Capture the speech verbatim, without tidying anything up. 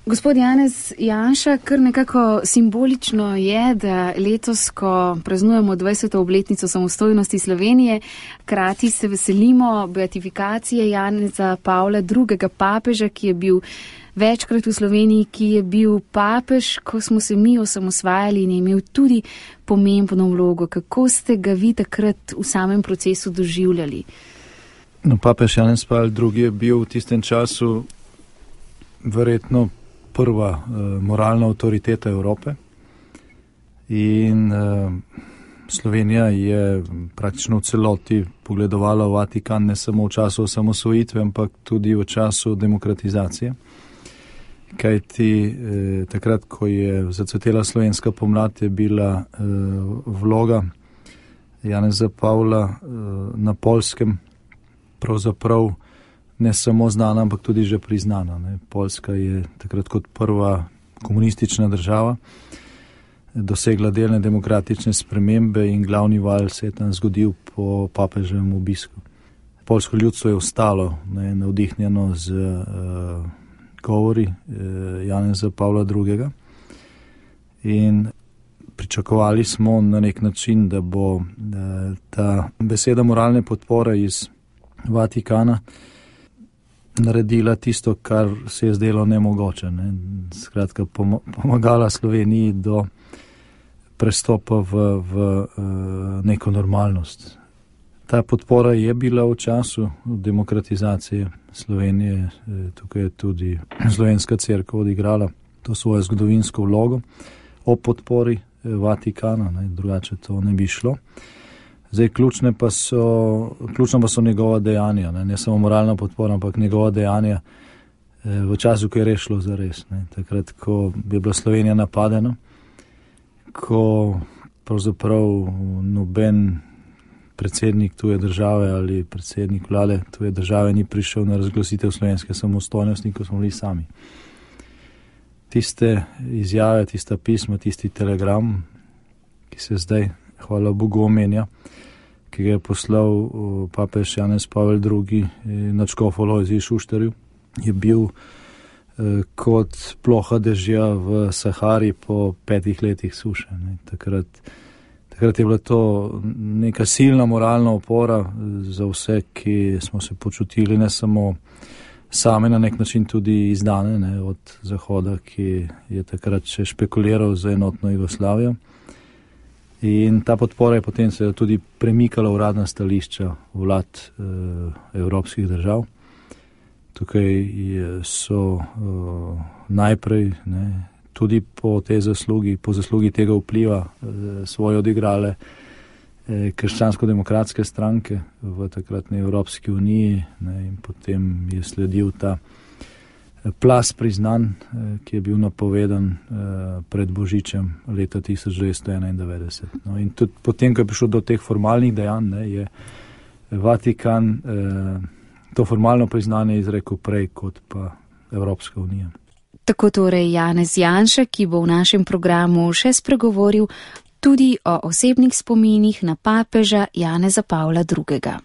Gospod Janez Janša, kar nekako simbolično je, da letos, ko praznujemo dvajseto obletnico samostojnosti Slovenije, krati se veselimo beatifikacije Janeza Pavla drugega papeža, ki je bil večkrat v Sloveniji, ki je bil papež, ko smo se mi osamosvajali in je imel tudi pomembno vlogo. Kako ste ga vi takrat v samem procesu doživljali? No, papež Janez Pavel drugi je bil v tistem času verjetno prva uh, moralna avtoriteta Evrope in uh, Slovenija je praktično v celoti pogledovala v Vatikan ne samo v času osamosvojitve, ampak tudi v času demokratizacije. Kajti eh, takrat, ko je zacvetela slovenska pomlad, je bila eh, vloga Janeza Pavla eh, na Poljskem pravzaprav ne samo znana, ampak tudi že priznana. Ne. Poljska je takrat kot prva komunistična država dosegla delne demokratične spremembe in glavni val se je tam zgodil po papeževem obisku. Poljsko ljudstvo je ostalo ne, navdihnjeno z uh, govori uh, Janeza Pavla drugega in pričakovali smo na nek način, da bo uh, ta beseda moralne podpore iz Vatikana naredila tisto, kar se je zdelo nemogoče. Ne. Skratka, pomagala Sloveniji do prestopa v, v uh, neko normalnost. Ta podpora je bila v času demokratizacije Slovenije. Tukaj je tudi Slovenska cerkev odigrala to svojo zgodovinsko vlogo o podpori Vatikana, ne, drugače to ne bi šlo. Zdaj, ključne pa so, ključno pa so njegova dejanja, ne, ne samo moralna podpora, ampak njegova dejanja v času, ko je rešilo zares. Ne. Takrat, ko je bila Slovenija napadena, ko pravzaprav noben predsednik tuje države ali predsednik vlade tuje države ni prišel na razglasitev slovenske samostojnosti, ko smo bili sami. Tiste izjave, tista pisma, tisti telegram, ki se zdaj, hvala Bogu, omenja, ki ga je poslal papež Janez Pavel drugi na škofu Lojzi Šuštarju, je bil kot ploha dežja v Sahari po petih letih suše. Ne. Takrat, takrat je bila to neka silna moralna opora za vse, ki smo se počutili ne samo same, na nek način tudi izdane, ne, od Zahoda, ki je takrat še špekuliral za enotno Jugoslavijo. In ta podpora je potem se tudi premikala v uradna stališča vlad eh, evropskih držav. Tukaj so uh, najprej ne, tudi po tej zaslugi, po zaslugi tega vpliva uh, svoje odigrale eh, krščansko-demokratske stranke v takratni Evropski uniji, ne, in potem je sledil ta plas priznanj, eh, ki je bil napovedan eh, pred Božičem leta tisoč devetsto enaindevetdeset. No, in tudi potem, ko je prišlo do teh formalnih dejanj, ne, je Vatikan eh, to formalno priznanje izrekel prej kot pa Evropska unija. Tako torej Janez Janša, ki bo v našem programu še spregovoril tudi o osebnih spominih na papeža Janeza Pavla drugega.